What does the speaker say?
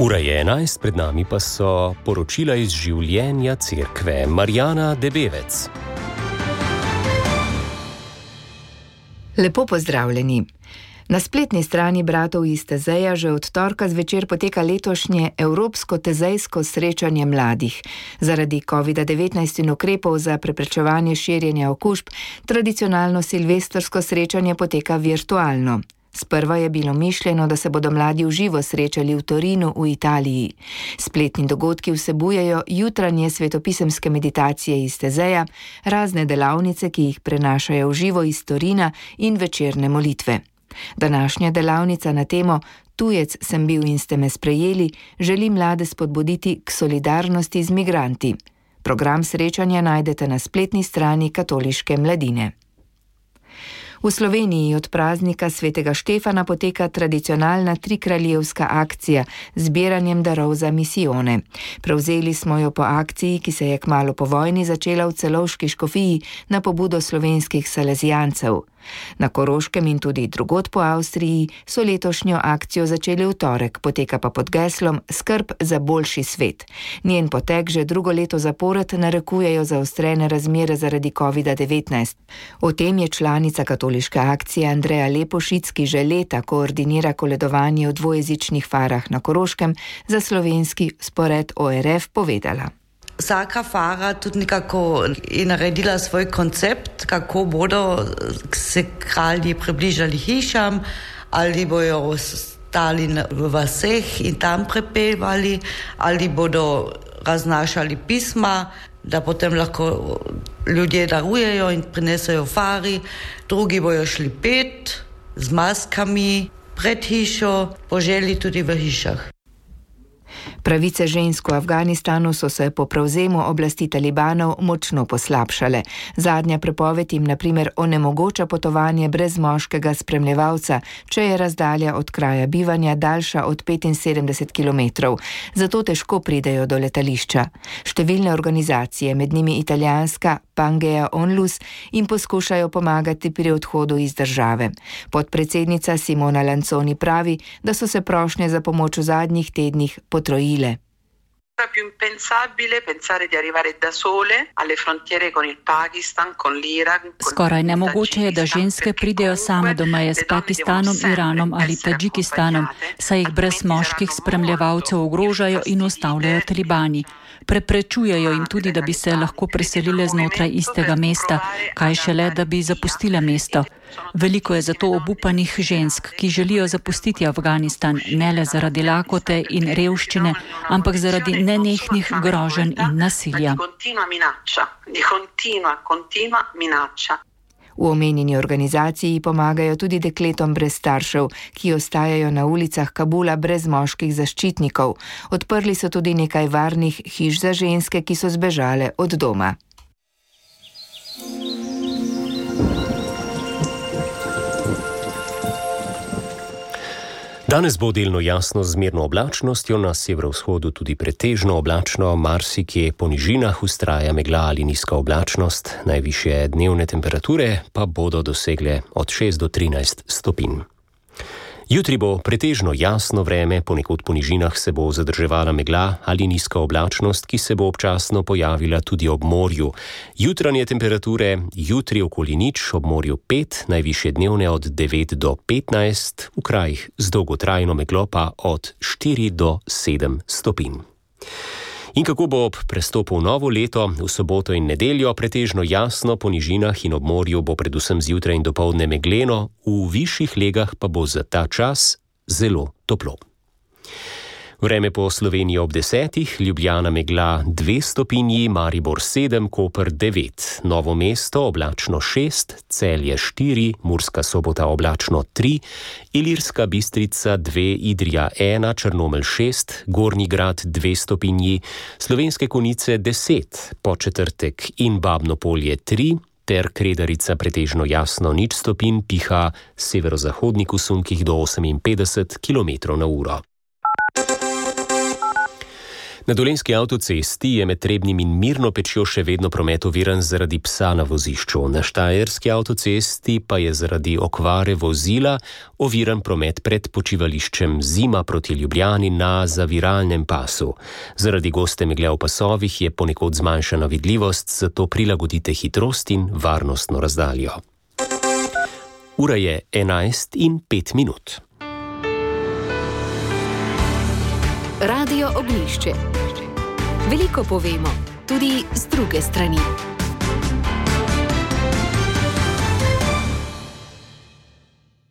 Ura je 11, pred nami pa so poročila iz življenja cerkve. Marjana Debevec. Lepo pozdravljeni. Na spletni strani bratov iz Tezeja že od torka zvečer poteka letošnje Evropsko tezejsko srečanje mladih. Zaradi COVID-19 in ukrepov za preprečevanje širjenja okužb, tradicionalno silvestrsko srečanje poteka virtualno. Sprva je bilo mišljeno, da se bodo mladi v živo srečali v Torinu v Italiji. Spletni dogodki vsebujejo jutranje svetopisemske meditacije iz Tezeja, razne delavnice, ki jih prenašajo v živo iz Torina in večerne molitve. Današnja delavnica na temo Tujec sem bil in ste me sprejeli želi mlade spodbuditi k solidarnosti z migranti. Program srečanja najdete na spletni strani Katoliške mladine. V Sloveniji od praznika svetega Štefana poteka tradicionalna trikraljevska akcija z zbiranjem darov za misijone. Prevzeli smo jo po akciji, ki se je kmalu po vojni začela v Celovški škofiji na pobudo slovenskih salezijancev. Na Koroškem in tudi drugod po Avstriji so letošnjo akcijo začeli v torek, poteka pa pod geslom Skrb za boljši svet. Njen potek že drugo leto zapored narekujejo zaostrene razmere zaradi COVID-19. O tem je članica katoliške akcije Andreja Lepošic, ki že leta koordinira koledovanje v dvojezičnih farah na Koroškem, za slovenski spored ORF povedala. Vsaka fara tudi nekako je naredila svoj koncept, kako bodo se kralji približali hišam, ali bojo stali v vaseh in tam prepevali, ali bodo raznašali pisma, da potem lahko ljudje darujejo in prinesejo fari, drugi bojo šli pet z maskami pred hišo, po želji tudi v hišah. Pravice žensk v Afganistanu so se po prevzemu oblasti talibanov močno poslabšale. Zadnja prepoved jim na primer onemogoča potovanje brez moškega spremljevalca, če je razdalja od kraja bivanja daljša od 75 km. Zato težko pridejo do letališča. Številne organizacije, med njimi italijanska Pangea Onlus, jim poskušajo pomagati pri odhodu iz države. Podpredsednica Simona Lanzoni pravi, da so se prošnje za pomoč v zadnjih tednih potrojile. Più impensabile pensare di arrivare da sole alle frontiere con il Pakistan, con l'Iran. Skoraj nemogoče je, da ženske pridejo same do meje s Pakistanom, Iranom ali Tadžikistanom, saj jih brez moških spremljevalcev ogrožajo in ustavljajo talibani. Preprečujejo jim tudi, da bi se lahko preselile znotraj istega mesta, kaj šele, da bi zapustile mesto. Veliko je zato obupanih žensk, ki želijo zapustiti Afganistan, ne le zaradi lakote in revščine, ampak zaradi nenehnih groženj in nasilja. V omenjeni organizaciji pomagajo tudi dekletom brez staršev, ki ostajajo na ulicah Kabula brez moških zaščitnikov. Odprli so tudi nekaj varnih hiš za ženske, ki so zbežale od doma. Danes bo delno jasno z zmerno oblačnostjo, na severovzhodu tudi pretežno oblačno, marsikje po nižinah vztraja megla ali nizka oblačnost, najvišje dnevne temperature pa bodo dosegle od 6 do 13 stopinj. Jutri bo pretežno jasno vreme, ponekod po nižinah se bo zadrževala megla ali nizka oblačnost, ki se bo občasno pojavila tudi ob morju. Jutranje temperature, jutri okoli 0, ob morju 5, najvišje dnevne od 9 do 15, v krajih z dolgotrajno meglo pa od 4 do 7 stopinj. In kako bo ob prestopu v novo leto, v soboto in nedeljo pretežno jasno, po nižinah in ob morju bo predvsem zjutraj in dopoldne megleno, v višjih legah pa bo za ta čas zelo toplo. Vreme po Sloveniji ob 10, Ljubljana megla 2 stopinji, Maribor 7, Koper 9, Novo mesto oblačno 6, Celje 4, Murska Sobota oblačno 3, Ilirska Bistrica 2, Idrija 1, Črnomelj 6, Gornji Grad 2 stopinji, Slovenske Konjice 10, Podčetrtek in Babno Polje 3, ter Kredarica pretežno jasno 0 stopinj, piha severozahodnik v sunkih do 58 km/h. Na Dolenjski avtocesti je med Trebnjem in Mirno Pečjo še vedno promet oviran zaradi psa na vozišču. Na Štajerski avtocesti pa je zaradi okvare vozila oviran promet pred počivališčem Zima proti Ljubljani na zaviralnem pasu. Zaradi goste megle v pasovih je ponekod zmanjšana vidljivost, zato prilagodite hitrost in varnostno razdaljo. Ura je 11:05. Radio Oglišče. Veliko povemo, tudi z druge strani.